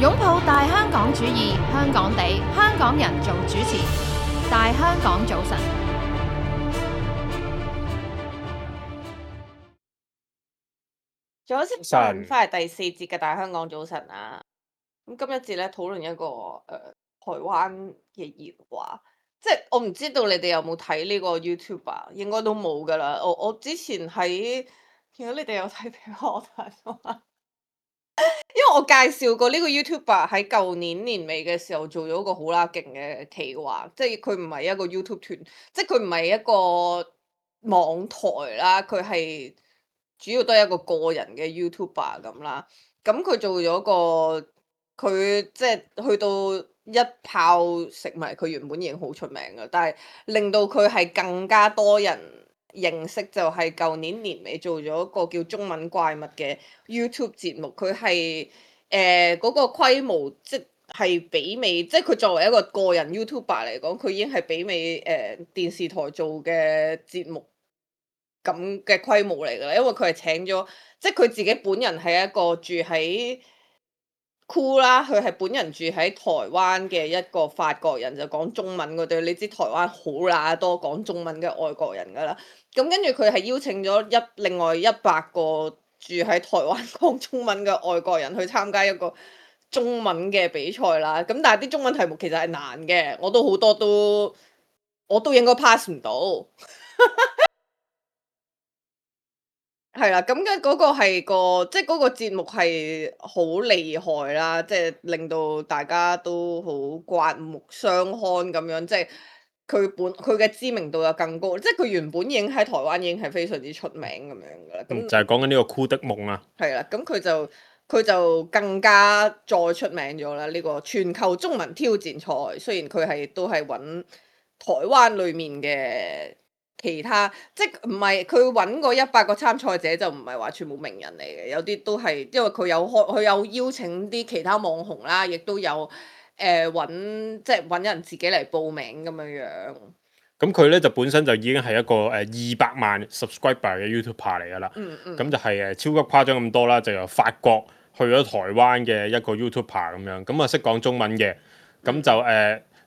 擁抱大香港主義，香港地，香港人做主持，大香港早晨。早晨，翻嚟第四節嘅大香港早晨啊！咁今一節咧討論一個台灣嘅熱話，即係我唔知道你哋有冇睇呢個 YouTuber，應該都冇噶啦。我之前喺，如果你哋有睇俾我睇嘅話，因為我介紹過呢個 YouTuber 喺舊年年尾嘅時候做咗個好啦勁嘅企劃，即係佢唔係一個 YouTube 團，即係佢唔係一個網台啦，佢係主要都係一個個人嘅 YouTuber 咁啦。咁佢做咗個佢即係去到一炮食埋，佢原本已經好出名嘅，但係令到佢係更加多人認識，就係舊年年尾做咗一個叫中文怪物嘅 YouTube 節目。佢係嗰個規模即係媲美，即係佢作為一個個人 YouTuber 嚟講，佢已經係媲美電視台做嘅節目咁嘅規模嚟㗎啦。因為佢係請咗，即係佢自己本人係一個住喺酷啦，佢係本人住喺台灣嘅一個法國人，就講中文嗰對。你知台灣好乸多講中文嘅外國人㗎啦。咁跟住佢係邀請咗另外100個住喺台灣講中文嘅外國人去參加一個中文嘅比賽啦。咁但係啲中文題目其實係難嘅，我都好多我都應該 pass 唔到。係啦，咁嘅嗰個係即係嗰個節目係好厲害啦，即係令到大家都好刮目相看咁樣，即係佢嘅知名度又更高，即係佢原本已經喺台灣已經係非常之出名咁樣噶啦。咁就係講緊呢個酷的夢啊。係啦，咁佢就更加再出名咗啦。呢個全球中文挑戰賽，雖然佢都係揾台灣裡面嘅。其他即係唔係佢揾過100個參賽者，就唔係話全部名人嚟嘅，有啲都係因為佢有邀請啲其他網紅啦，亦都有即係揾人自己嚟報名咁樣樣。咁佢咧就本身就已經係一個200萬 subscriber 嘅 YouTuber 嚟㗎啦。咁就係超級誇張咁多啦，就由法國去咗台灣嘅一個 YouTuber 咁樣，咁啊識講中文嘅，咁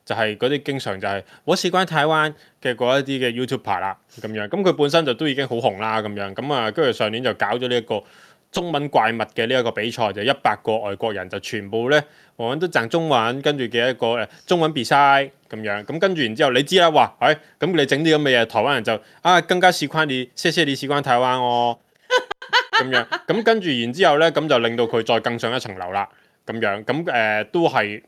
就係嗰啲經常就係我事關台灣嘅嗰一啲嘅 YouTuber 啦，咁樣，咁佢本身就都已經好紅啦，咁樣，咁啊跟住上年就搞咗呢一個中文怪物嘅呢一個比賽，就100個外國人就全部咧，我們都講中文，跟住嘅一個中文比賽咁樣，咁跟住然之後你知啦，哇，咁你整啲咁嘅嘢，台灣人就更加事關你，謝謝你事關台灣哦，咁樣，咁跟住然之後咧，咁就令到佢再更上一層樓啦，咁樣，咁都係。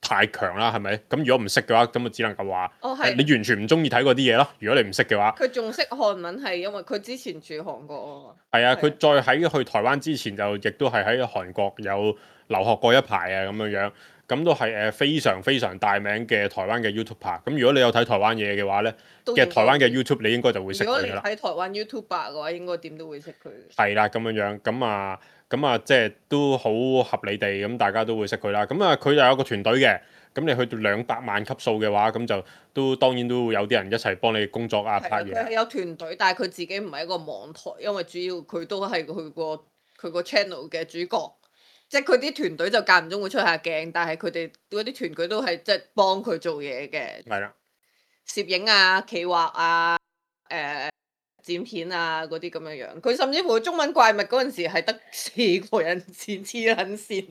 太強啦，係咪？咁如果唔識嘅話，咁就只能夠話，你完全唔中意睇嗰啲嘢咯。如果你唔識嘅話，佢仲識韓文係因為佢之前住韓國啊。係啊，佢再喺去台灣之前就亦都係喺韓國有留學過一排啊，咁樣樣，咁都係非常非常大名嘅台灣嘅 YouTuber。咁如果你有睇台灣嘢嘅話咧，嘅台灣嘅 YouTube 你應該就會識佢㗎啦。如果你睇台灣 YouTuber 嘅話，應該點都會識佢。係啦，咁樣樣，咁啊，即係都好合理地，咁大家都會識佢啦。咁啊，佢就有個團隊嘅，咁你去到200萬級數嘅話，咁就當然都會有啲人一齊幫你工作啊，拍嘢。佢係有團隊，但係佢自己唔係一個網台，因為主要佢都係佢個 channel 嘅主角，即係佢啲團隊就間唔中會出下鏡，但係佢哋嗰啲團隊都係即係幫佢做嘢嘅。係啦，攝影啊、企劃啊、剪片啊嗰啲咁樣樣，佢甚至乎中文怪物嗰陣時係得4個人剪，黐撚線，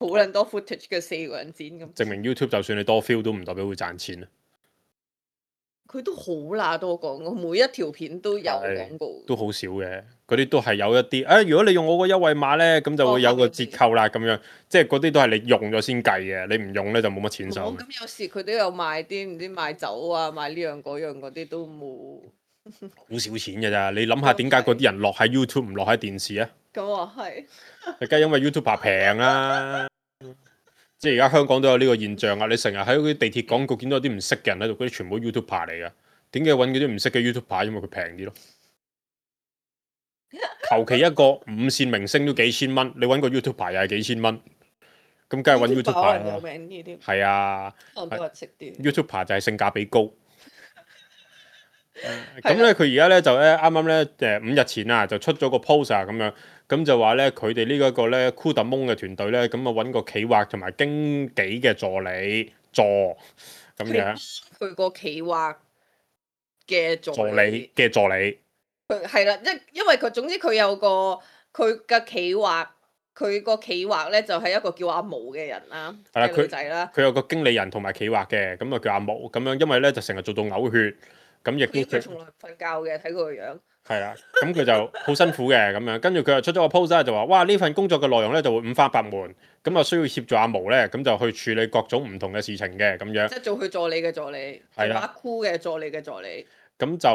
好撚多 footage 嘅4個人剪咁。證明 YouTube 就算你多 feel 都唔代表會賺錢啊！佢都好乸多廣告，每一條片都有廣告。都好少嘅，嗰啲都係有一啲，如果你用我個優惠碼咧，咁就會有個折扣啦，咁樣，即係嗰啲都係你用咗先計嘅，你唔用咧就冇乜錢收。咁有時佢都有賣啲唔知賣酒啊，賣呢樣嗰樣嗰啲都冇。好少錢㗎咋，你諗下點解嗰啲人落喺 YouTube 唔落喺電視啊？咁啊係。梗係因為 YouTuber 平啦，即係而家香港都有呢個現象啊！你成日喺嗰啲地鐵廣告見到有啲唔識嘅人喺度，嗰啲全部 YouTuber 嚟㗎。點解揾嗰啲唔識嘅 YouTuber？因為佢平啲咯。求其一個5線明星都幾千蚊，你揾個 YouTuber 又係幾千蚊，咁梗係揾 YouTuber 啦。有名啲添。係啊。可能都係識啲。YouTuber 就係性價比高。咁咧佢而家咧就咧啱啱咧5日前啊就出咗個 post 啊咁樣，咁就話咧佢哋呢一個咧 Kudamon 嘅團隊咧，咁啊揾個企劃同埋經紀嘅助理咁樣，佢個企劃嘅助理嘅助理，佢係啦，因為佢總之佢有個佢嘅企劃，佢個企劃咧就係一個叫阿毛嘅人啦，係啦嘅女仔啦，佢有個經理人同埋企劃嘅，咁啊叫阿毛咁樣，因為咧就成日做到嘔血，咁亦都佢從來唔瞓覺嘅，睇佢個樣。係啦，咁佢就好辛苦嘅咁樣，跟住佢又出咗個 post 啦，就話哇呢份工作嘅內容咧就會五花八門，咁啊需要協助阿毛咧，咁就去處理各種唔同嘅事情嘅咁樣。即係做佢助理嘅助理，做把箍嘅助理嘅助理。咁就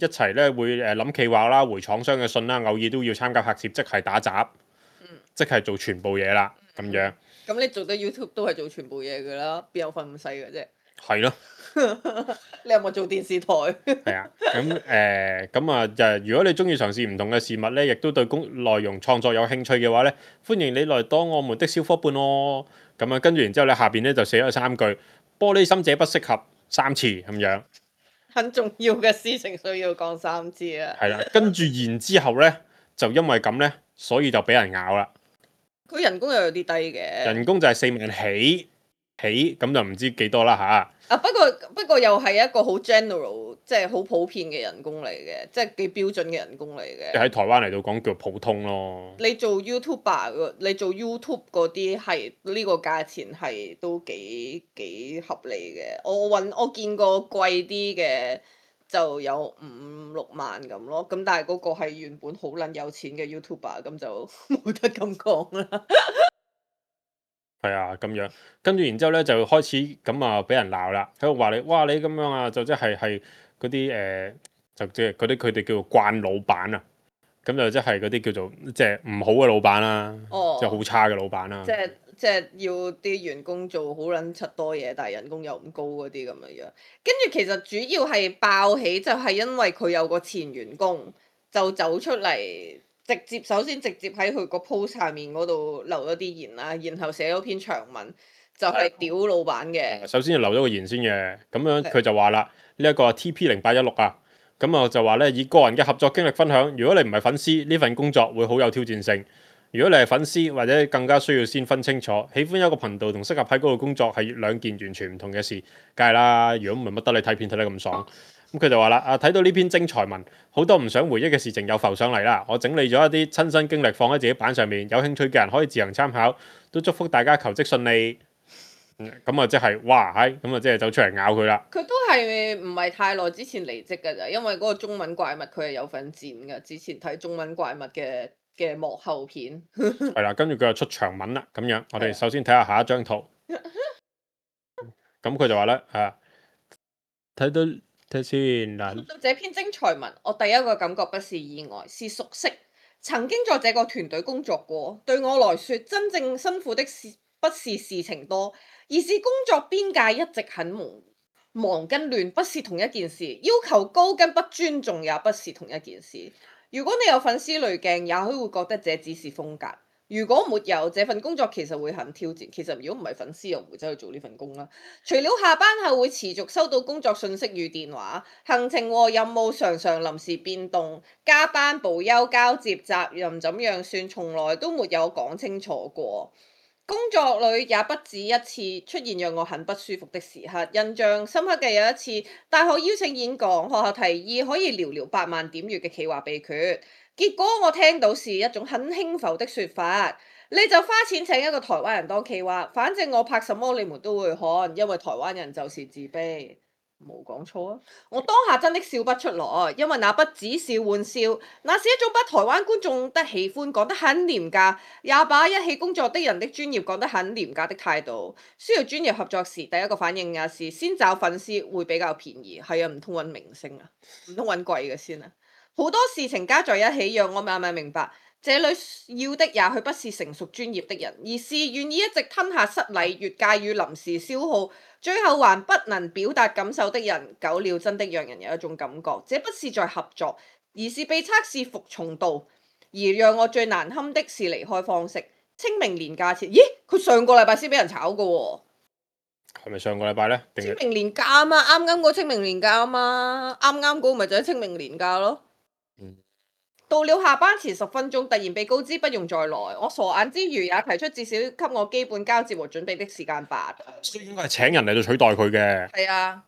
一齊咧會諗企劃啦、回廠商嘅信啦，偶爾都要參加拍攝，即係打雜，即係做全部嘢啦咁樣。咁你做得 YouTube 都係做全部嘢㗎啦，邊有份咁細嘅啫？係咯。你有冇做電視台？係啊，咁啊就如果你中意嘗試唔同嘅事物咧，亦都對內容創作有興趣嘅話咧，歡迎你來當我們的小伙伴咯。咁啊，跟住然之後咧，下邊咧就寫咗3句：玻璃心者不適合3次咁樣。很重要嘅事情需要講3次啊。係啦，跟住然之後咧，就因為咁咧，所以就俾人咬啦。佢人工又有啲低嘅。人工就係4萬起，咁就唔知幾多啦嚇。啊，不過又係一個好 general，即係好普遍嘅人工嚟嘅，即係幾標準嘅人工嚟嘅。喺台灣嚟到講叫普通咯。你做 YouTuber，你做 YouTube 嗰啲係呢個價錢係都幾合理嘅。我見過貴啲嘅就有5-6萬咁咯。咁但係嗰個係原本好撚有錢嘅 YouTuber，咁就冇得咁講啦。係啊，咁樣跟住然之後咧就開始咁啊俾人鬧啦，喺度話你哇你咁樣啊，就即係嗰啲就即係嗰啲佢哋叫做慣老闆啊，咁就即係嗰啲叫做即係唔好嘅老闆啦，即係好差嘅老闆啦。即係要啲員工做好撚柒多嘢，但係人工又唔高嗰啲咁樣樣。跟住其實主要係爆起就係因為佢有個前員工就走出嚟。首先直接喺佢個 post 下面嗰度留咗啲言啦，然後寫咗篇長文，就係屌老闆嘅。首先就留咗個言先嘅，咁樣佢就話啦，呢一個 TP0816啊，咁啊就話咧以個人嘅合作經歷分享，如果你唔係粉絲，呢份工作會好有挑戰性；如果你係粉絲，或者更加需要先分清楚，喜歡一個頻道同適合喺嗰度工作係兩件完全唔同嘅事，梗係啦。如果唔係乜得你睇片睇得咁爽。咁佢就話啦，睇到呢篇精彩文，好多唔想回憶嘅事情又浮上嚟啦。我整理咗一啲親身經歷放喺自己版上面，有興趣嘅人可以自行參考。都祝福大家求職順利。咁啊，即係哇，咁啊，即係走出嚟咬佢啦。佢都係唔係太耐之前離職㗎咋，因為嗰個中文怪物佢係有份剪㗎。之前睇中文怪物嘅幕後片。係啦，跟住佢又出長文啦，咁樣。我哋首先睇下下一張圖。咁佢就話咧，睇到。睇先嗱，讀到這篇精彩文，我第一個感覺不是意外，是熟悉。曾經在這個團隊工作過，對我來說，真正辛苦的事不是事情多，而是工作邊界一直很忙跟亂，不是同一件事。要求高跟不尊重也不是同一件事。如果你有粉絲濾鏡，也許會覺得這只是風格。如果沒有，這份工作其實會很挑戰。其實如果唔係粉絲，又唔會走去做呢份工啦。除了下班後會持續收到工作訊息與電話，行程和任務常常臨時變動，加班補休交接責任怎樣算，從來都沒有講清楚過。工作裏也不止一次出現讓我很不舒服的時刻。印象深刻嘅有一次，大學邀請演講，學校提議可以聊聊8萬點閱嘅企劃秘訣。結果我聽到是一種很輕浮的說法，你就花錢請一個台灣人當企劃，反正我拍什麼你們都會看，因為台灣人就是自卑。冇講錯啊！我當下真的笑不出來，因為那不只是玩笑，那是一種把台灣觀眾的喜歡講得很廉價，也把一起工作的人的專業講得很廉價的態度。需要專業合作時，第一個反應也是先找粉絲會比較便宜。係啊，唔通揾明星啊？唔通揾貴嘅先啊？好多事情加在一起，讓我慢慢明白，這裏要的也許不是成熟專業的人，而是願意一直吞下失禮、越界與臨時消耗，最後還不能表達感受的人。久了真的讓人有一種感覺，這不是在合作，而是被測試服從度。而讓我最難堪的是離開方式。清明年假前，咦？佢上個禮拜先俾人炒㗎喎。係咪上個禮拜咧？定清明年假啊嘛，啱啱嗰清明年假啊嘛，啱啱嗰個咪就係清明年假咯。到了下班前10分鐘，突然被告知不用再來，我傻眼之餘也提出至少給我基本交接和準備的時間吧。所以應該係請人嚟到取代佢嘅。係啊。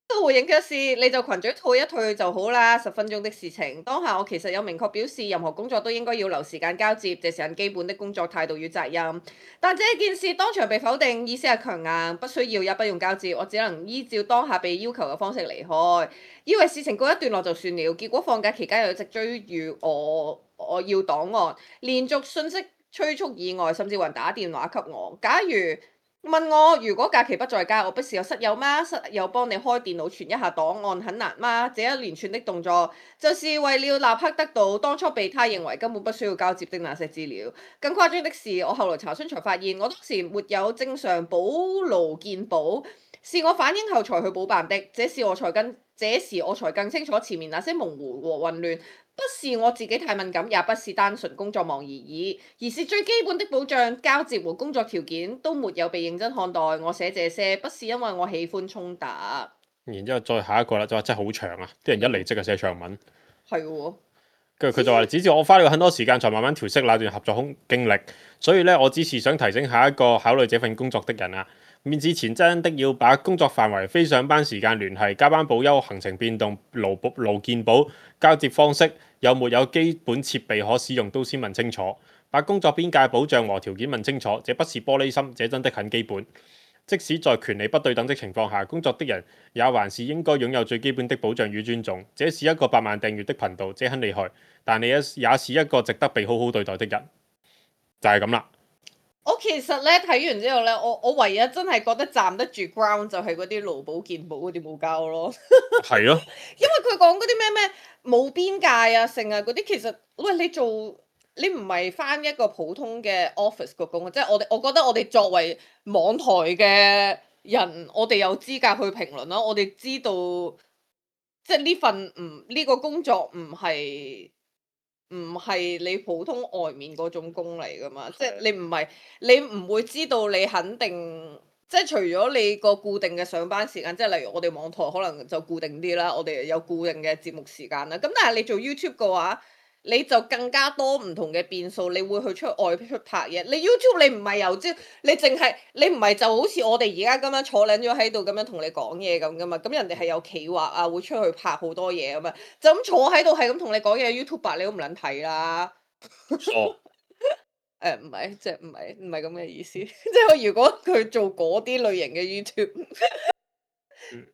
都回應嘅是，你就群組退一退就好啦，10分鐘的事情。當下我其實有明確表示，任何工作都應該要留時間交接，這是很基本的工作態度與責任。但這件事當場被否定，意思係強硬，不需要也不用交接，我只能依照當下被要求嘅方式離開。以為事情告一段落就算了，結果放假期間又一直追住我要檔案，連續信息催促以外，甚至有人打電話給我。假如問我如果假期不在家，我不是有室友嗎？室友幫你開電腦傳一下檔案很難嗎？這一連串的動作，就是為了立刻得到當初被他認為根本不需要交接的那些資料。更誇張的是，我後來查詢才發現，我當時沒有正常補勞健保，是我反應後才去補辦的。這時我才更清楚前面那些模糊和混亂。不是我自己太敏感，也不是單純工作忙而已，而是最基本的保障、交接和工作條件都沒有被認真看待。我寫這些不是因為我喜歡衝突。然之後再下一個啦，就話真係好長啊！啲人一離職就寫長文。係喎。跟住佢就話：只是我花了很多時間才慢慢調適那段合作經歷，所以咧我只是想提醒下一個考慮這份工作的人啊，面試前真的要把工作範圍、非上班時間聯繫、加班補休、行程變動、勞健保、交接方式有沒有基本設備可使用都先問清楚，把工作邊界保障和條件問清楚，這不是玻璃心，這真的很基本。即使在權利不對等的情況下，工作的人也還是應該擁有最基本的保障與尊重。這是一個8萬訂閱的頻道，這很厲害，但你也是一個值得被好好對待的人，就係咁啦。我其實咧睇完之後咧，我唯一真係覺得站得住 ground 就係嗰啲勞保健保嗰啲冇交咯。係咯，因為佢講嗰啲咩冇邊界啊，成啊嗰啲，其實喂你唔係返一個普通嘅 office 個工，即係我覺得我哋作為網台嘅人，我哋有資格去評論啦。我哋知道，即係呢個工作唔係你普通外面嗰種工嚟噶嘛，即係你唔會知道你肯定，即係除咗你個固定嘅上班時間，即係例如我哋網台可能就固定啲啦，我哋有固定嘅節目時間啦。咁但係你做 YouTube 嘅話，你就更加多唔同嘅變數，你會去外出拍嘢。你 YouTube 你唔係由朝，你唔係就好似我哋而家咁樣坐撚咗喺度咁樣同你講嘢咁噶嘛。咁人哋係有企劃啊，會出去拍好多嘢咁嘛。就咁坐喺度係咁同你講嘢，YouTuber 你都唔撚睇啦。唔係，即係唔係咁嘅意思。即係如果佢做嗰啲類型嘅 YouTube。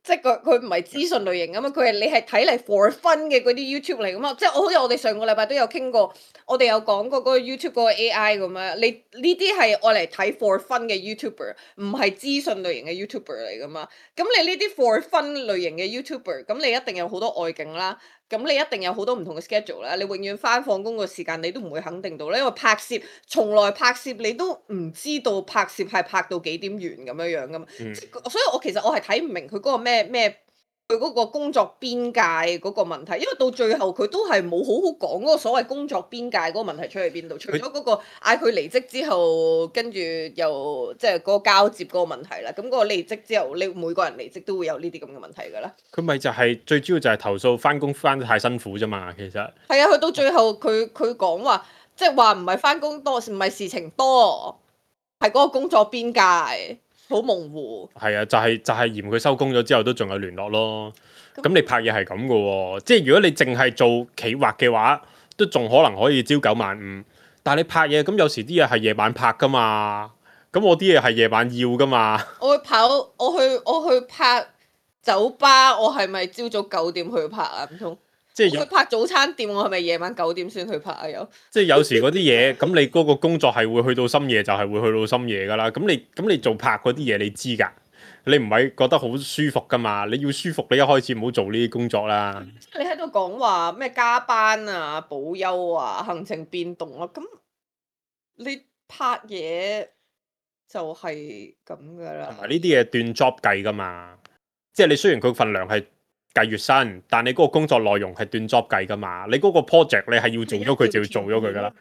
即係佢唔係資訊類型啊嘛，你係睇嚟 for fun 嘅嗰啲 YouTube 嚟噶嘛，即係好似我哋上個禮拜都有傾過，我哋有講過嗰個 YouTube 嗰個 AI 咁樣，你呢啲係愛嚟睇 for fun 嘅 YouTuber，唔係資訊類型嘅 YouTuber 嚟噶嘛，咁你呢啲 for fun 類型嘅 YouTuber，咁你一定有好多外景啦。咁你一定有好多唔同嘅 schedule 啦，你永遠返放工個時間你都唔會肯定到咧，因為從來拍攝你都唔知道拍攝係拍到幾點完咁樣噶嘛，所以我其實係睇唔明佢嗰個咩佢嗰個工作邊界嗰個問題，因為到最後佢都係冇好好講嗰個所謂工作邊界嗰個問題出喺邊度，除咗嗰個嗌佢離職之後，跟住又即係嗰個交接嗰個問題啦。咁嗰個離職之後，你每個人離職都會有呢啲咁嘅問題㗎啦。佢咪就係最主要就係投訴返工返得太辛苦啫嘛，其實係啊，去到最後佢講話，即係話唔係返工多，唔係事情多，係嗰個工作邊界。好模糊，係啊，就係嫌佢收工咗之後都仲有聯絡咯。咁你拍嘢係咁嘅喎，即係如果你淨係做企劃嘅話，都仲可能可以朝9晚5。但係你拍嘢咁有時啲嘢係夜晚拍噶嘛，咁我啲嘢係夜晚要噶嘛。我去拍酒吧，我係咪朝早9點去拍啊？唔通？即係去拍早餐店，我係咪夜晚9點先去拍啊？即係有時嗰啲嘢，咁你嗰個工作係會去到深夜，就係會去到深夜噶啦。咁你做拍嗰啲嘢，你知㗎？你唔係覺得好舒服㗎嘛？你要舒服，你一開始唔好做呢啲工作啦。你喺度講話咩加班啊、補休啊、行程變動啊，咁你拍嘢就係咁㗎啦。同埋呢啲嘢斷 job 計㗎嘛，即係你雖然佢份糧係計月薪，但你嗰個工作內容係斷 job 計噶嘛？你嗰個 project 你係要做咗佢就要做咗佢噶啦。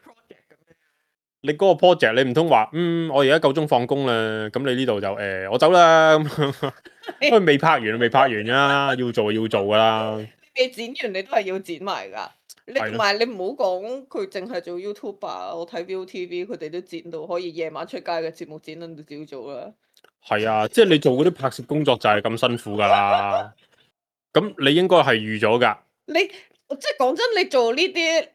你嗰個 project 你唔通話我而家夠鐘放工啦，咁你呢度就我走啦咁，因為未拍完未拍完㗎，要做要做㗎啦。未剪完你都係要剪埋㗎。你同埋你唔好講佢淨係做 YouTuber，我睇 ViuTV 佢哋都剪到可以夜晚出街嘅節目剪到朝早啦。係啊，即係你做嗰啲拍攝工作就係咁辛苦㗎啦。咁你應該係預咗㗎。你即係講真，你做呢啲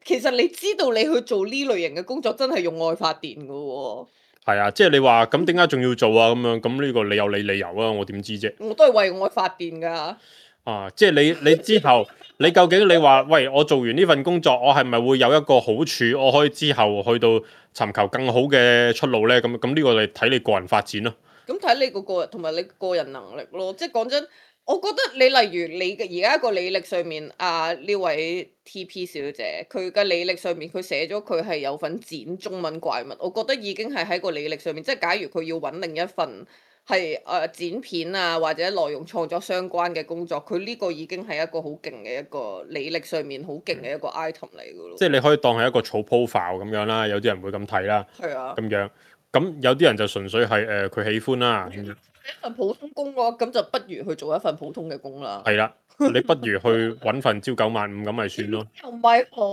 其實你知道你去做呢類型嘅工作真係用愛發電㗎喎。係啊，即係你話咁點解仲要做啊？咁樣咁呢個你有你理由啊，我點知啫？我都係為愛發電㗎。啊，即係你之後，你究竟你話喂，我做完呢份工作，我係咪會有一個好處，我可以之後去到尋求更好嘅出路呢？咁呢個你睇你個人發展咯。咁睇你個人同埋你個人能力咯。即係講真，我覺得你例如你嘅而家個履歷上面呢位 TP 小姐，佢嘅履歷上面佢寫咗佢係有份剪中文怪物，我覺得已經係喺個履歷上面。即係假如佢要揾另一份係剪片啊或者內容創作相關嘅工作，佢呢個已經係一個好勁嘅一個履歷上面好勁嘅一個 item 嚟㗎咯。即係你可以當係一個草 profile 咁樣啦，有啲人會咁睇啦。係啊。咁樣，咁有啲人就純粹係佢喜歡啦。咁樣一份普通工嘅話，咁就不如去做一份普通嘅工啦。係啦，你不如去揾份朝九晚五咁咪算咯。又唔係好，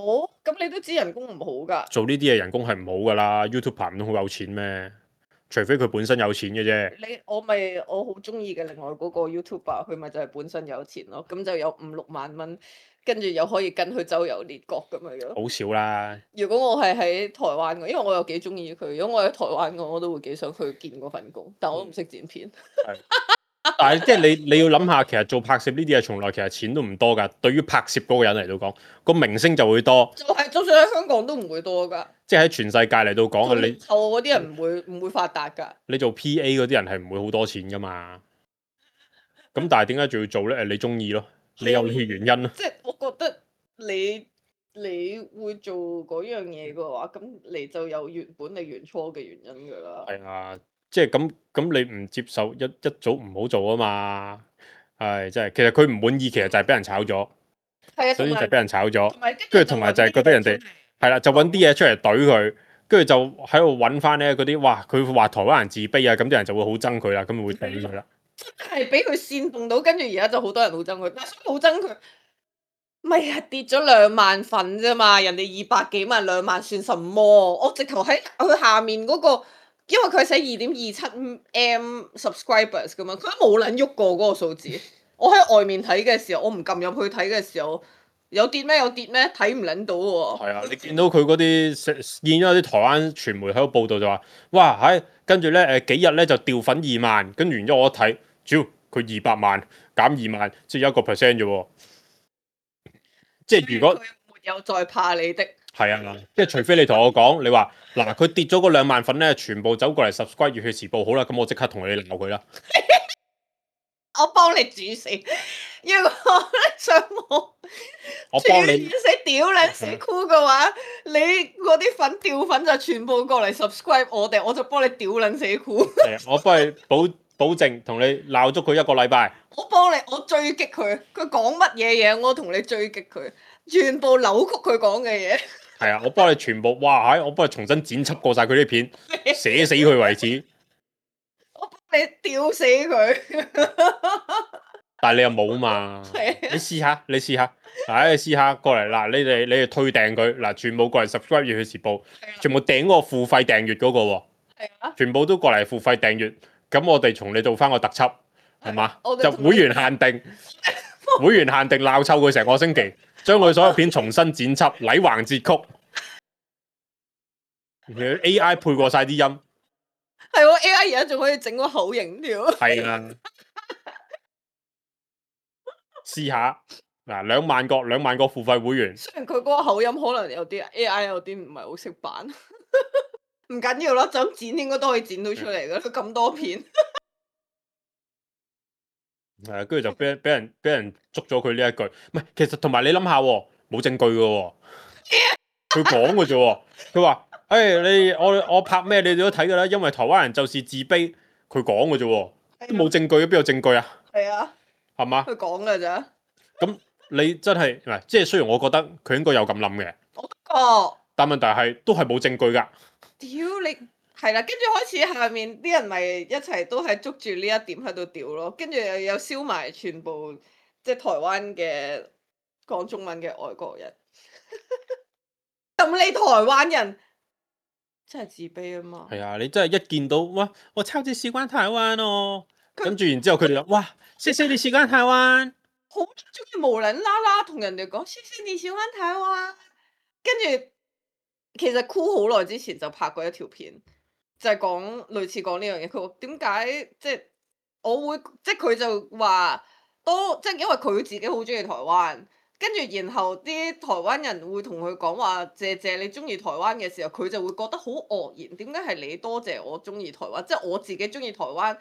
咁你都知人工唔好㗎。做呢啲嘢人工係唔好㗎啦，YouTuber 唔通好有錢咩？除非佢本身有錢嘅啫。我好中意嘅另外嗰個 YouTuber，佢咪就係本身有錢咯，咁就有5-6萬蚊，跟住又可以跟佢周遊列國咁樣樣。好少啦。如果我係喺台灣嘅，因為我又幾中意佢，如果我喺台灣嘅，我都會幾想去見嗰份工，但我都唔識剪片。但係即係你要諗下，其實做拍攝呢啲嘢從來其實錢都唔多㗎。對於拍攝嗰個人嚟到講，個明星就會多。就算喺香港都唔會多㗎。即係喺全世界嚟到講，你嗰啲人唔會發達㗎。你做 PA 嗰啲人係唔會好多錢㗎嘛。咁但係點解仲要做咧？你中意咯，你有你原因咯。即係我覺得你會做嗰樣嘢嘅話，咁你就有原初嘅原因㗎啦。係啊，即係咁你唔接受一早唔好做啊嘛。係真係，其實佢唔滿意，其實就係俾人炒咗。係啊，首先就俾人炒咗，跟住同埋就係覺得人哋係啦，就揾啲嘢出嚟懟佢，跟住就喺度揾翻咧嗰啲，哇！佢話台灣人自卑啊，咁啲人就會好憎佢啦，咁會頂佢啦。係俾佢煽動到，跟住而家就好多人好憎佢，但係好憎佢，咪係跌咗2萬份啫嘛，人哋200幾萬2萬算什麼？我直頭喺佢下面嗰個，因為佢寫2.27M subscribers 噶嘛，佢都冇撚喐過嗰個數字。我喺外面睇嘅時候，我唔撳入去睇嘅時候，有跌咩？睇唔撚到喎。係啊，你見到佢嗰啲見咗啲台灣傳媒喺度報道就話，哇跟住咧幾日咧就掉粉2萬，跟住完咗我一睇，主要佢200萬減2萬，即係1% 啫喎。即係如果佢沒有再怕你的。係啊，即係除非你同我講，你話嗱佢跌咗嗰2萬粉咧，全部走過嚟 subscribe 熱血時報好啦，咁我即刻同你鬧佢啦。我幫你煮死，如果想我幫你死屌你死酷嘅話，你嗰啲粉掉粉就全部過嚟 subscribe 我哋，我就幫你屌撚死酷。我幫你保證同你鬧足佢1個禮拜。我幫你，我追擊佢，佢講乜嘢嘢，我同你追擊佢，全部扭曲佢講嘅嘢。係啊，我幫你全部，哇！我幫你重新剪輯過晒佢啲片，寫死佢為止。我幫你屌死佢。但係你又冇嘛？你試下，你試下過嚟嗱，你哋退訂佢嗱，全部過嚟 subscribe 熱血時報，全部訂嗰個付費訂閱嗰個喎。係啊。全部都過嚟付費訂閱，咁我哋從你做翻個特輯，係嘛？就會員限定，會員限定鬧臭佢成個星期，將佢所有片重新剪輯，禮橫節曲，AI 配過晒啲音。係喎，AI 而家仲可以整個口型條。係啊。試下嗱，2萬個付費會員。雖然佢嗰個口音可能有啲 AI 有啲唔係好識扮，唔緊要咯，就剪應該都可以剪到出嚟噶，佢咁多片。係，跟住就俾人捉咗佢呢一句，唔係，其實同埋你諗下喎，冇證據嘅喎，佢講嘅啫喎，佢話我拍咩你哋都睇㗎啦，因為台灣人就是自卑，佢講嘅啫喎，都冇證據，邊有證據啊？係啊。係嘛？佢講㗎咋？咁你真係嗱，即係雖然我覺得佢應該有咁諗嘅。我都覺。但問題係都係冇證據㗎。屌你係啦，跟住開始下面啲人咪一齊都係捉住呢一點喺度屌咯，跟住又有燒埋全部即係台灣嘅講中文嘅外國人，咁你台灣人真係自卑啊嘛。係啊，你真係一見到哇，我超級喜歡台灣哦，跟住然之後佢哋就哇，謝謝你喜歡台灣，好中意無撚啦啦同人哋講謝謝你喜歡台灣，跟住其實酷好耐之前就拍過一條片，就係講類似講呢樣嘢。佢話點解即係我會即係佢就話多即係因為佢自己好中意台灣，跟住然後啲台灣人會同佢講話謝謝你中意台灣嘅時候，佢就會覺得好愕然。點解係你多謝我中意台灣？即係我自己中意台灣，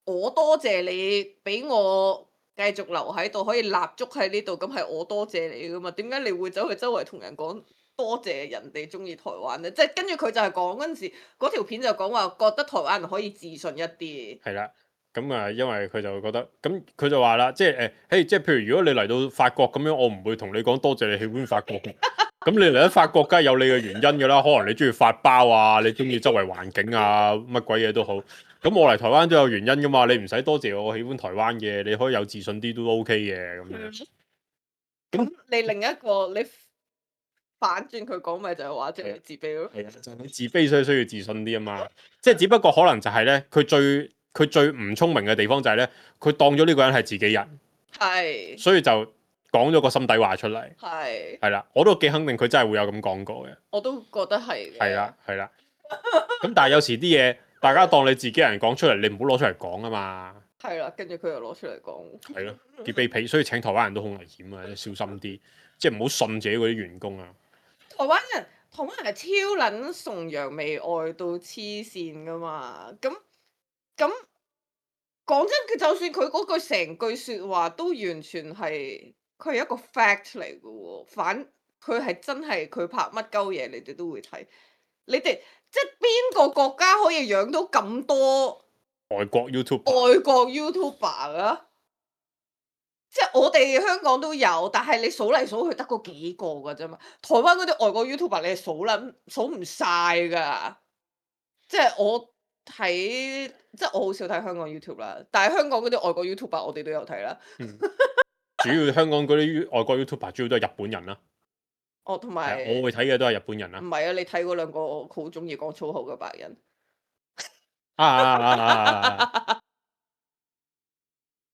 我多謝你俾我繼續留喺度，可以立足喺呢度，咁係我多謝你噶嘛？點解你會走去周圍同人講多謝人哋中意台灣咧？即係跟住佢就係講嗰陣時，嗰條片就講話覺得台灣人可以自信一啲。係啦。咁啊，因為佢就覺得，咁佢就話啦，即係即係譬如如果你嚟到法國咁樣，我唔會同你講多謝你喜歡法國嘅。咁你嚟到法國，梗係有你嘅原因㗎啦。可能你中意法包啊，你中意周圍環境啊，乜鬼嘢都好。咁我嚟台灣都有原因㗎嘛。你唔使多謝我喜歡台灣嘅，你可以有自信啲都 OK 嘅咁樣。咁你另一個你反轉佢講咪就係話即係自卑咯。係啊，就係你自卑所以需要自信啲啊嘛。即係只不過可能就係咧，佢最唔聰明嘅地方就係咧，佢當咗呢個人係自己人，係，所以就講咗個心底話出嚟。係，係啦，我都幾肯定佢真係會有咁講過嘅。我都覺得係嘅。係啦，係啦。咁但係有時啲嘢，大家當你自己人講出嚟，你唔好攞出嚟講啊嘛。係啦，跟住佢又攞出嚟講。係咯，幾卑鄙，所以請台灣人都好危險啊，小心啲，即係唔好信自己嗰啲員工啊。台灣人係超撚崇洋媚外到黐線噶嘛，咁講真，佢就算佢嗰句成句説話都完全係佢係一個 fact 嚟嘅喎，佢係真係佢拍乜鳩嘢，你哋都會睇。你哋即係邊個國家可以養到咁多外國 YouTube，外國 YouTuber 啊？即係我哋香港都有，但係你數嚟數去得嗰幾個㗎啫嘛。台灣嗰啲外國 YouTuber 你係數唔晒㗎。即係我睇，即係我好少睇香港 YouTube 啦。但係香港嗰啲外國 YouTuber 我哋都有睇啦。主要香港嗰啲外國 YouTuber 主要都係日本人啦。哦，同埋我會睇嘅都係日本人啦。唔係啊，你睇嗰兩個好中意講粗口嘅白人。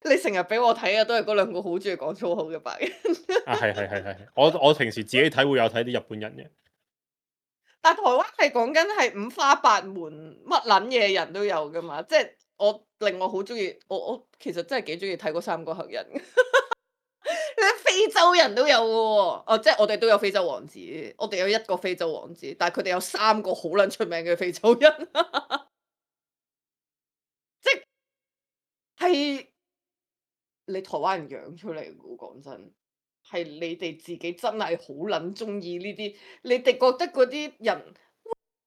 你成日俾我睇嘅都係嗰兩個好中意講粗口嘅白人。係，我平時自己睇會有睇啲日本人嘅。但台灣係講緊係五花八門乜撚嘢人都有噶嘛，即係令我好中意，我其實真係幾中意睇嗰三個黑人。你非洲人都有嘅喎，哦，即係我哋都有非洲王子，我哋有一個非洲王子，但係佢哋有三個好撚出名嘅非洲人。即係你台灣人養出嚟嘅喎，講真。係你哋自己真係好撚中意呢啲，你哋覺得嗰啲人，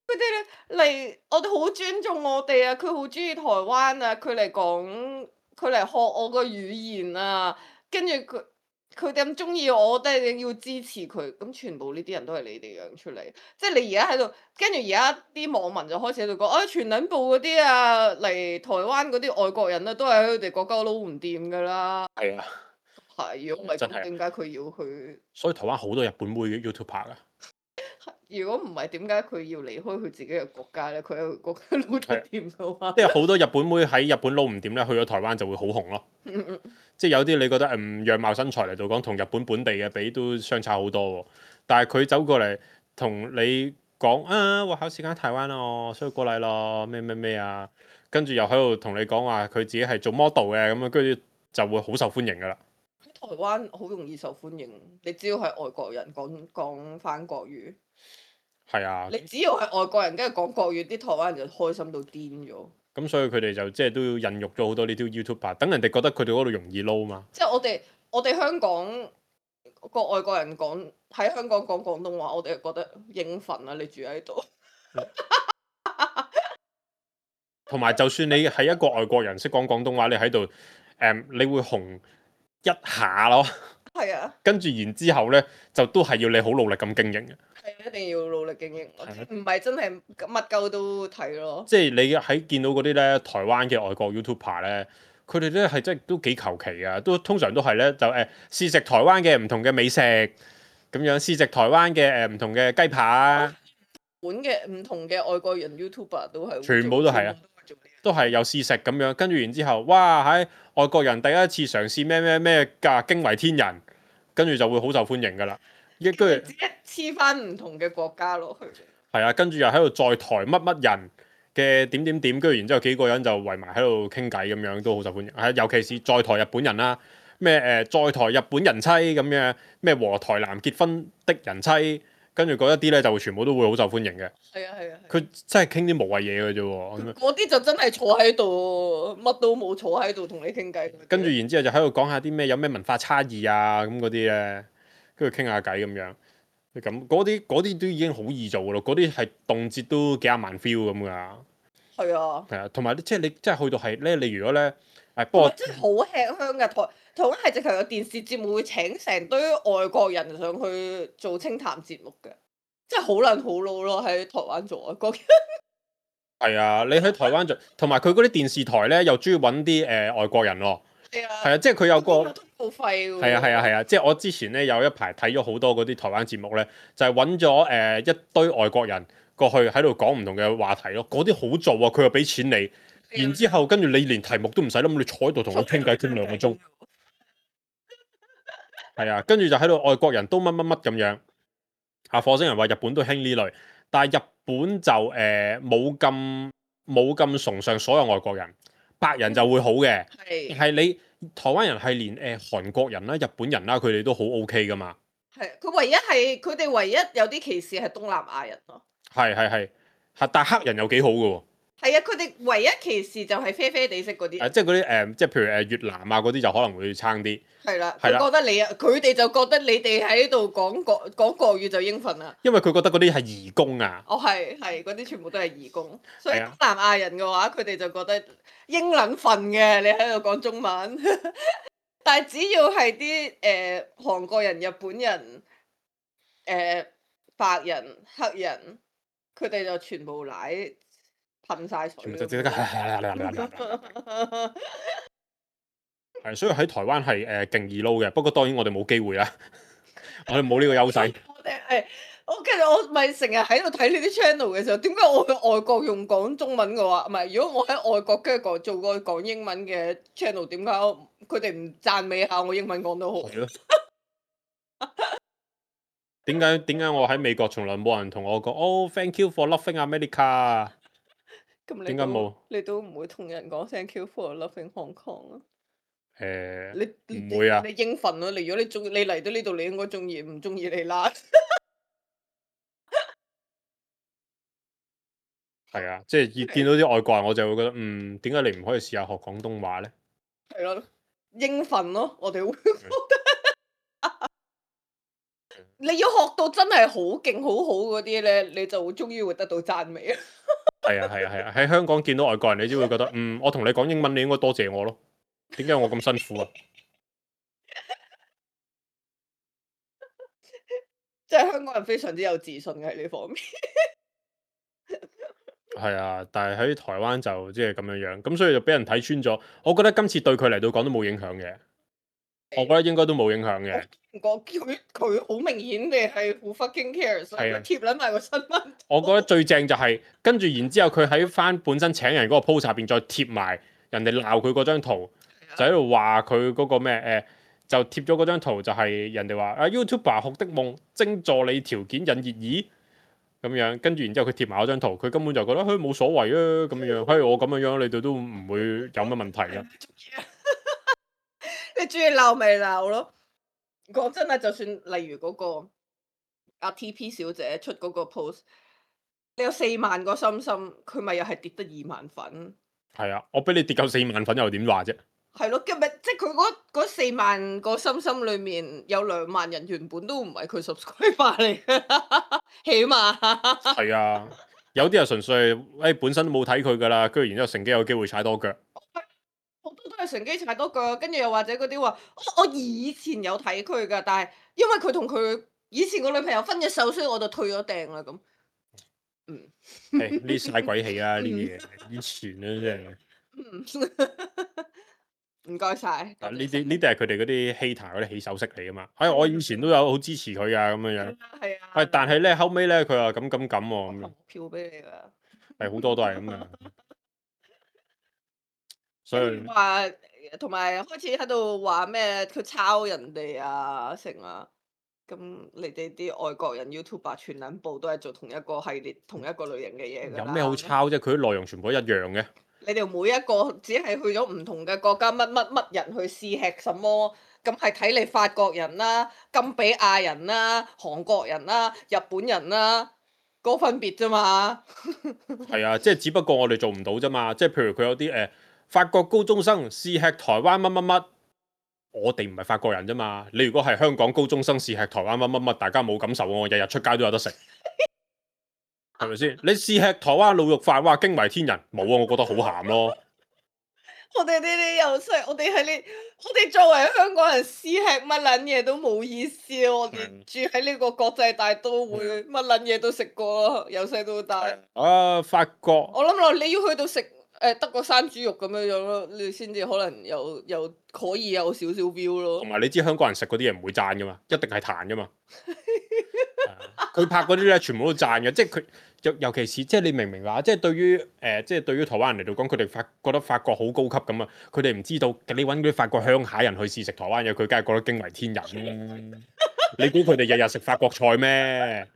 佢哋嚟，我哋好尊重我哋啊！佢好中意台灣啊！佢嚟講，佢嚟學我個語言啊！跟住佢哋咁中意我，都係要支持佢。咁全部呢啲人都係你哋養出嚟，即係你而家喺度，跟住而家啲網民就開始喺度講，啊全撚部嗰啲啊嚟台灣嗰啲外國人啊，都係喺佢哋國家撈唔掂㗎啦。係啊。係，如果唔係真係咁，點解佢要去？所以台灣好多日本妹嘅 YouTuber 噶。如果唔係，點解佢要離開佢自己嘅國家咧？佢喺佢國家撈得掂嘅話，即係好多日本妹喺日本撈唔掂咧，去咗台灣就會好紅咯。即係有啲你覺得樣貌身材嚟到講，同日本本地嘅比都相差好多喎。但係佢走過嚟同你講啊，我好喜歡台灣咯，所以過嚟咯，咩啊，跟住又喺度同你講話佢自己係做 model 嘅咁樣，跟住就會好受歡迎噶啦。台灣好容易受歡迎，你只要係外國人講翻國語，係啊，你只要係外國人跟住講國語，啲台灣人就開心到癲咗。咁所以佢哋就即係都要孕育咗好多呢啲 YouTuber，等人哋覺得佢哋嗰度容易撈嘛。即係我哋香港個外國人喺香港講廣東話，我哋就覺得應份啊！你住喺度，同埋就算你係一個外國人識講廣東話，你喺度你會紅一下咯。係啊，跟住然之後咧，就都係要你好努力咁經營嘅。係一定要努力經營，唔係真係乜鳩都睇咯。即係你喺見到嗰啲咧台灣嘅外國 YouTuber 咧，佢哋咧係真係都幾求其啊，都通常都係咧就試食台灣嘅唔同嘅美食，咁樣試食台灣嘅唔同嘅雞扒。本嘅唔同嘅外國人 YouTuber 都係全部都係啊，都係有試食咁樣，跟住然之後，哇喺外國人第一次嘗試咩㗎驚為天人，跟住就會好受歡迎㗎啦。跟住黐翻唔同嘅國家落去。係啊，跟住又喺度在台乜乜人嘅點點點，跟住然之後幾個人就圍埋喺度傾偈咁樣，都好受歡迎。係尤其是在台日本人啦，咩在台日本人妻咁樣，咩和台南結婚的人妻。跟住嗰一啲咧就全部都會好受歡迎嘅。係啊係啊。佢真係傾啲無謂嘢嘅啫喎。嗰啲就真係坐喺度，乜都冇，坐喺度同你傾偈。跟住然之後就喺度講下啲咩有咩文化差異啊咁嗰啲咧，跟住傾下偈咁樣。咁嗰啲都已經好易做嘅咯，嗰啲係動輒都幾廿萬 view 咁㗎。係啊。係啊，同埋即係你即係去到係咧，你如果咧不過真係好吃香嘅台灣係直頭有電視節目會請成堆外國人上去做清談節目嘅，真係好撚好撈咯！喺台灣做外國人。係啊，你喺台灣做，同埋佢嗰啲電視台咧又中意揾啲外國人喎。係啊。係啊，即係佢有個通告費喎。係啊，即係我之前咧有一排睇咗好多嗰啲台灣節目咧，就係揾咗一堆外國人過去喺度講唔同嘅話題咯。嗰啲好做啊，佢又俾錢你，然之後跟住你連題目都唔使諗，你坐喺度同佢傾偈傾2個鐘。係啊，跟住就喺度外國人都乜乜乜咁樣。火星人話日本都興呢類，但係日本就冇咁崇尚所有外國人，白人就會好嘅。係你台灣人係連韓國人啦、日本人啦，佢哋都好 OK 噶嘛。係佢哋唯一有啲歧視係東南亞人咯。係，但係黑人又幾好嘅喎。係啊，佢哋唯一歧視就係啡啡地色嗰啲。即係嗰啲即係譬如越南啊嗰啲就可能會差啲。係啦，佢覺得佢哋就覺得你哋喺度講國語就應份啦。因為佢覺得嗰啲係移工啊。係嗰啲全部都係移工，所以東南亞人嘅話，佢哋就覺得應撚份嘅，你喺度講中文。但係只要係啲韓國人、日本人、白人、黑人，佢哋就全部奶噴晒水。係，所以喺台灣係勁易撈嘅，不過當然我哋冇機會啦，我哋冇呢個優勢。其實我咪成日喺度睇呢啲 channel 嘅時候，點解我去外國用講中文嘅話，唔係如果我喺外國跟住做個講英文嘅 channel，點解佢哋唔讚美下我英文講得好？點解我喺美國從來冇人同我講哦 ，thank you for loving America？ 點解冇？你都唔會同人講 thank you for loving Hong Kong 啊？唔會啊！你應份咯，如果你嚟到呢度，你應該中意，唔中意你啦。係啊，即係見到啲外國人，我就會覺得點解你唔可以試下學廣東話咧？係咯，應份咯，我哋會覺得你要學到真係好勁、好好嗰啲咧，你就終於會得到讚美啊！係啊，喺香港見到外國人，你只會覺得我同你講英文，你應該多謝我咯。點解我咁辛苦啊？即係香港人非常之有自信嘅喺呢方面。係啊，但係喺台灣就即係咁樣，咁所以就俾人睇穿咗。我覺得今次對佢嚟到講都冇影響嘅，我覺得應該都冇影響嘅。佢好明顯地係好 fucking care，所以貼撚埋個新聞。我覺得最正就係跟住然之後，佢喺翻本身請人嗰個 post 入邊再貼埋人哋鬧佢嗰張圖，就喺度話佢嗰個咩就貼咗嗰張圖，就係人哋話YouTuber 學的夢，徵助你條件引熱議咁樣，跟住然之後佢貼埋嗰張圖，佢根本就覺得冇所謂啊咁樣，我咁樣你哋都唔會有乜問題㗎。你中意鬧咪鬧咯。講真啊，就算例如嗰個阿 TP 小姐出嗰個 post，你有4萬個心心，佢咪又係跌得2萬粉。係啊，我俾你跌夠4萬粉又點話啫？係咯，即係佢嗰4萬個心心裏面有2萬人原本都唔係佢 subscriber 嚟嘅，起碼。係啊，有啲人純粹本身都冇睇佢噶啦，跟住然之後乘機有機會踩多腳。好多都係乘機踩多腳，跟住又或者嗰啲話，我以前有睇佢㗎，但係因為佢同佢以前個女朋友分咗手，所以我就退咗訂啦咁。呢晒鬼氣啊！呢啲嘢以前咧真係。唔該晒。呢啲係佢哋嗰啲 hater 嗰啲起手式嚟噶嘛？我以前都有好支持佢啊咁樣樣。係啊。但係咧後尾咧佢話咁喎。投票俾你㗎。係好多都係咁啊。所以話同埋開始喺度話咩？佢抄人哋啊，成啊。咁你哋啲外國人 YouTuber 全撚部都係做同一個系列、同一個類型嘅嘢㗎啦。有咩好抄啫？佢啲內容全部一樣嘅。你哋每一個只係去咗唔同嘅國家，乜人去試吃什麼？咁係睇你法國人啦、金比亞人啦、韓國人啦、日本人啦，個分別啫嘛。係啊，即係只不過我哋做唔到啫嘛。即係譬如佢有啲法國高中生試吃台灣乜乜乜，我哋唔係法國人啫嘛。你如果係香港高中生試吃台灣乜乜乜，大家冇感受喎，我日日出街都有得食，係咪先？你試吃台灣滷肉飯，哇驚為天人，冇啊，我覺得好鹹咯。我哋呢啲又細，我哋作為香港人試吃乜撚嘢都冇意思啊！我哋住喺呢個國際大都會，乜撚嘢都食過，由細到大。法國。我諗落你要去到食德國山豬肉咁樣樣咯，你先至可能有可以有少少 view 咯。同埋你知香港人食嗰啲嘢唔會讚噶嘛，一定係彈噶嘛。佢拍嗰啲咧，全部都讚嘅，即係佢尤其是即係你明唔明話？即係對於即係對於台灣人嚟到講，佢哋覺得法國好高級咁啊！佢哋唔知道你揾嗰啲法國鄉下人去試食台灣嘢，佢梗係覺得驚為天人啦。你估佢哋日日食法國菜咩？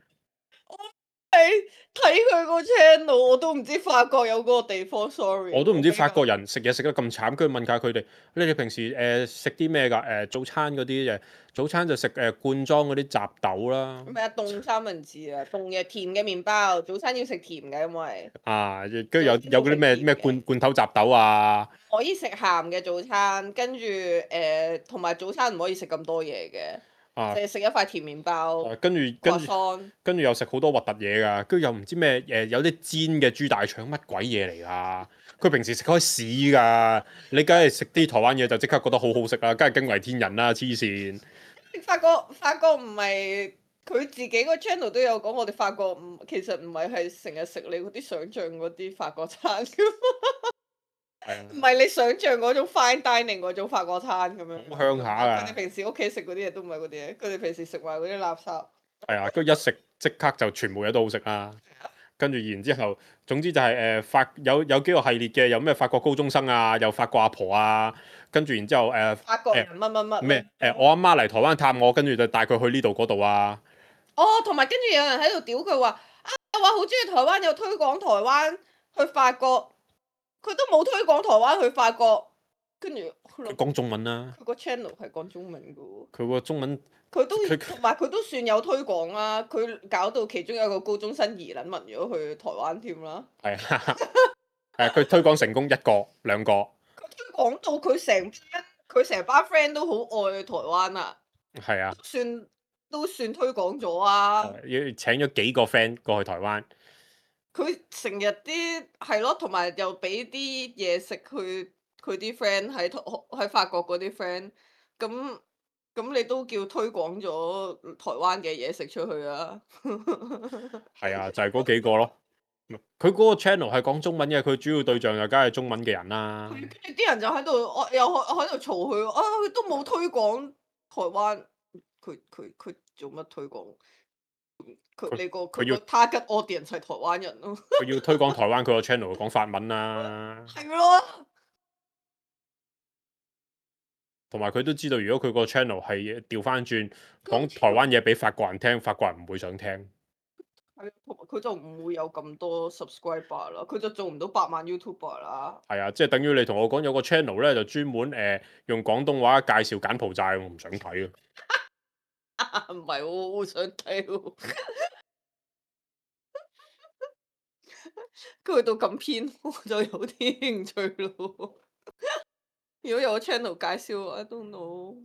睇佢個 channel，我都唔知法國有嗰個地方。Sorry，我都唔知法國人食嘢食得咁慘，跟住問下佢哋：你哋平時食啲咩㗎？早餐嗰啲早餐就食罐裝嗰啲雜豆啦。咩啊？凍三文治啊，凍嘅甜嘅麵包，早餐要食甜嘅，因為跟住有嗰啲咩罐頭雜豆啊。可以食鹹嘅早餐，跟住同埋早餐唔可以食咁多嘢嘅。淨係食一塊甜麵包，跟住又食好多核突嘢㗎，跟住又唔知咩有啲煎嘅豬大腸乜鬼嘢嚟㗎？佢平時食開屎㗎，你梗係食啲台灣嘢就即刻覺得好好食啦，梗係驚為天人啦，黐線！法國唔係佢自己個 channel 都有講，我哋法國其實唔係成日食你嗰啲想像嗰啲法國餐㗎嘛。唔係你想象嗰種 fine dining 嗰種法國餐咁樣。好鄉下啊！佢哋平時屋企食嗰啲嘢都唔係嗰啲嘢，佢哋平時食埋嗰啲垃圾。係啊，跟住一食即刻就全部嘢都好食啦。跟住然之後，總之就係有幾個系列嘅，有咩法國高中生啊，有法國阿婆啊，跟住然之後法國人乜乜乜咩我阿媽嚟台灣探我，跟住就帶佢去呢度嗰度啊。同埋跟住有人喺度屌佢話話好中意台灣，有推廣台灣去法國。佢都冇推廣台灣去法國，跟住佢講中文啦。佢個 channel 係講中文嘅喎。佢個中文同埋佢都算有推廣啦。佢搞到其中有一個高中生移撚民咗去台灣添啦。係啊，佢推廣成功一個兩個。佢推廣到佢成班 friend 都好愛台灣啊。係啊。都算推廣咗啊。要請咗幾個 friend 過去台灣。佢成日啲係咯，同埋又俾啲嘢食佢啲 friend 喺法國嗰啲 friend，咁你都叫推廣咗台灣嘅嘢食出去啊？係啊，就係嗰幾個咯。佢嗰個 channel 係講中文嘅，佢主要對象就梗係中文嘅人啦。跟住啲人就喺度，又喺度嘈佢，佢都冇推廣台灣，佢做乜推廣？佢個 target audience 係台灣人咯。佢要推廣台灣，佢個 channel 講法文啦。係咯。同埋佢都知道，如果佢個 channel 係調翻轉講台灣嘢俾法國人聽，法國人唔會想聽。係，同埋佢就唔會有咁多 subscriber 啦，佢就做唔到100萬 YouTuber 啦。係啊，即係等於你同我講有個 channel 咧，就專門用廣東話介紹柬埔寨，我唔想睇啊。唔係喎，好想睇喎。佢去到咁偏，我就有啲興趣咯。如果有個 channel 介紹，I don't know，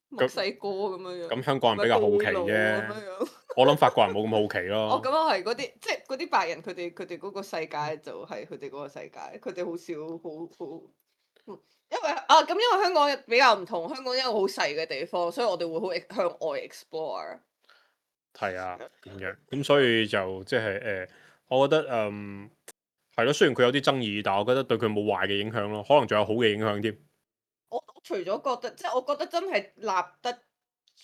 墨西哥咁樣樣。咁香港人比較好奇啫。我諗法國人冇咁好奇咯。咁又係嗰啲，即係嗰啲白人，佢哋嗰個世界就係佢哋嗰個世界，佢哋好少好。因為香港比較唔同，香港一個好細嘅地方，所以我哋會好向外 explore。係啊，咁樣咁所以就即係我覺得係咯，雖然佢有啲爭議，但係我覺得對佢冇壞嘅影響咯，可能仲有好嘅影響添。我除咗覺得，即係我覺得真係立得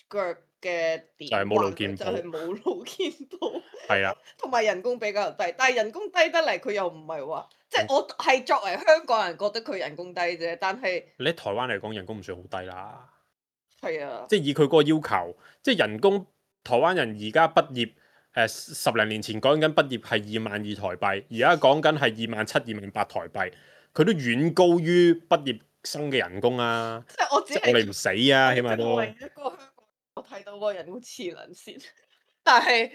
腳嘅點，就係冇路見就係冇路見到。係啊，同埋人工比較低，但係人工低得嚟，佢又唔係話，即係我係作為香港人覺得佢人工低啫，但係你喺台灣嚟講人工唔算好低啦。係啊，即係以佢嗰個要求，即係人工，台灣人而家畢業10零年前講緊畢業係22,000台幣，而家講緊係27,000、28,000台幣，佢都遠高於畢業生嘅人工啊！即係我只係我哋唔死啊，起碼都。唯一個香港我睇到個人工黐撚線，但係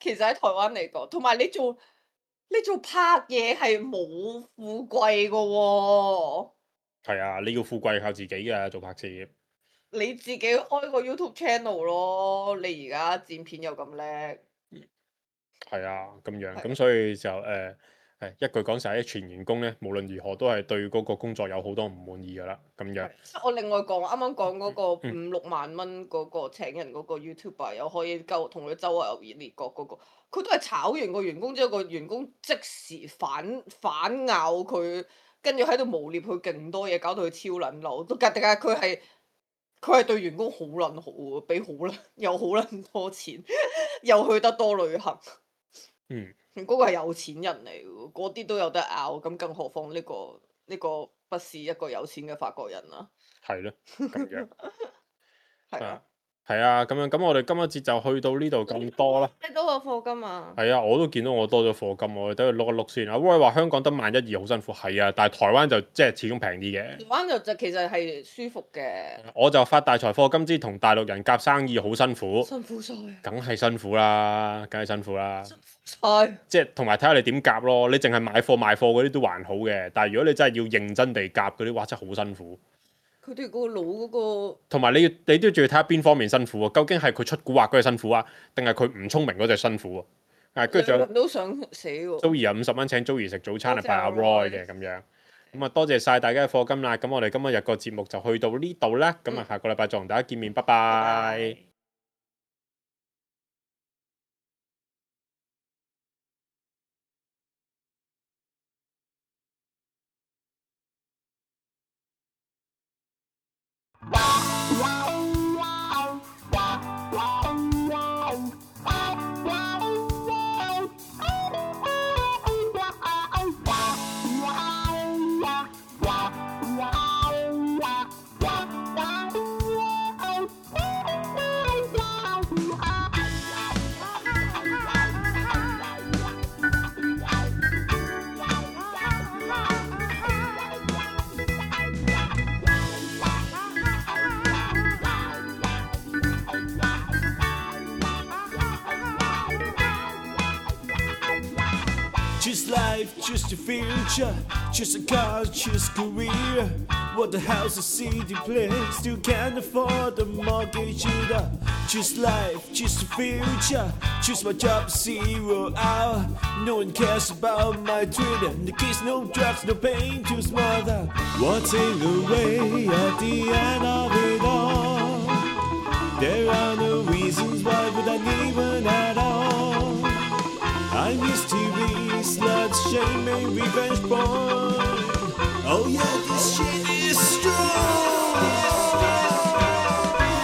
其實喺台灣嚟講，同埋你做拍嘢係冇富貴噶喎。係啊，你要富貴靠自己㗎，做拍攝。你自己開個 YouTube channel 咯，你而家剪片又咁叻。係啊，咁樣咁所以就一句講晒，啲全員工咧，無論如何都係對嗰個工作有好多唔滿意㗎啦，咁樣。我另外講，啱啱講嗰個5-6萬蚊嗰個請人嗰個 YouTuber，又可以同佢周圍遊熱烈國嗰個，佢都係炒完個員工之後，個員工即時反咬佢，跟住喺度誣蔑佢勁多嘢，搞到佢超撚嬲。都但係佢係對員工好撚好喎，俾又好撚多錢，又去得多旅行。嗰個係有錢人嚟喎，嗰啲都有得拗，咁更何況呢個不是一個有錢嘅法國人啦。係咯，咁樣。係啊。係啊，咁樣咁我哋今一節就去到呢度咁多啦。你多個課金啊？係啊，我都見到我多咗課金，我哋等佢碌一碌先。阿 Roy 話香港得11,200好辛苦，係啊，但係台灣就即係始終平啲嘅。台灣就其實係舒服嘅。我就發大財課金之同大陸人夾生意好辛苦。辛苦晒。梗係辛苦啦，梗係辛苦啦。辛苦晒。即係同埋睇下你點夾咯，你淨係買貨賣貨嗰啲都還好嘅，但係如果你真係要認真地夾嗰啲，哇真係好辛苦。佢哋個腦嗰個，同埋你都仲要睇下邊方面辛苦喎？究竟係佢出蠱惑嗰隻辛苦啊，定係佢唔聰明嗰隻辛苦喎？跟住仲有都想死喎。Joey 啊50蚊請 Joey 食早餐係拜阿 Roy 嘅咁樣，咁啊多謝晒大家嘅課金啦！咁我哋今日個節目就去到呢度啦，咁啊下個禮拜再同大家見面，拜拜。Choose life, choose the future, choose a car, choose career. What the house, a city place, still can't afford the mortgage either. Choose life, choose the future, choose my job 0 hour. No one cares about my Twitter. The kids, no drugs, no pain, too smother. Walking away at the end of it all. There are no reasons why would I leave it at all. I miss TV, sluts, shame and revenge porn. Oh yeah, this shit is strong.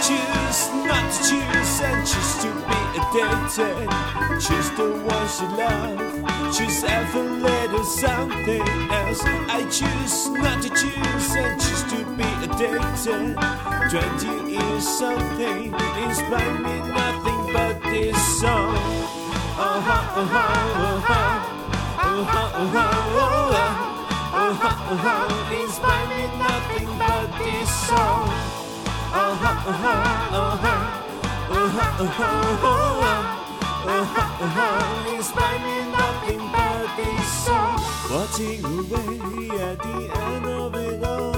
Choose not to choose and choose to be addicted. Choose the ones you love. Choose ever little something else. I choose not to choose and choose to be addicted. 20 years something inspire me nothing but this song. Inspire me nothing but this song. Inspire me nothing but this song. Walking away at the end of it all.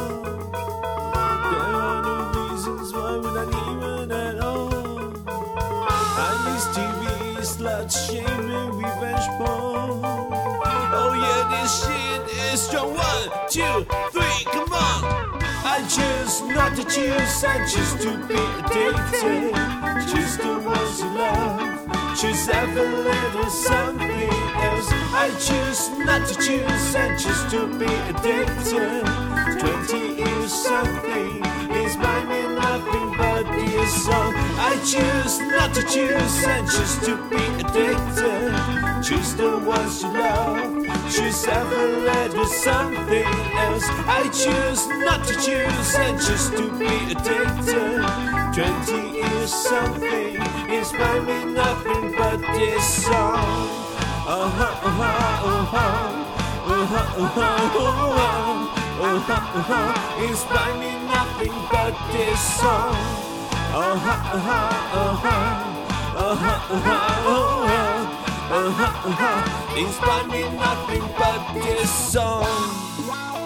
There are no reasons why we're not even at all. I miss TV, slut, shame and revenge porn. Oh yeah, this shit is strong. 1, 2, 3, come on. I choose not to choose and choose to be addicted. Choose the ones you love. Choose every little something else. I choose not to choose and choose to be addicted. 20 years something is by me nothing but this song. I choose not to choose and choose to be addicted. Choose the ones you love. Choose every little something else. I choose not to choose and choose to be addicted. 20 years something is by me nothing but this song. It's by me nothing but this song. It's by me nothing but this song.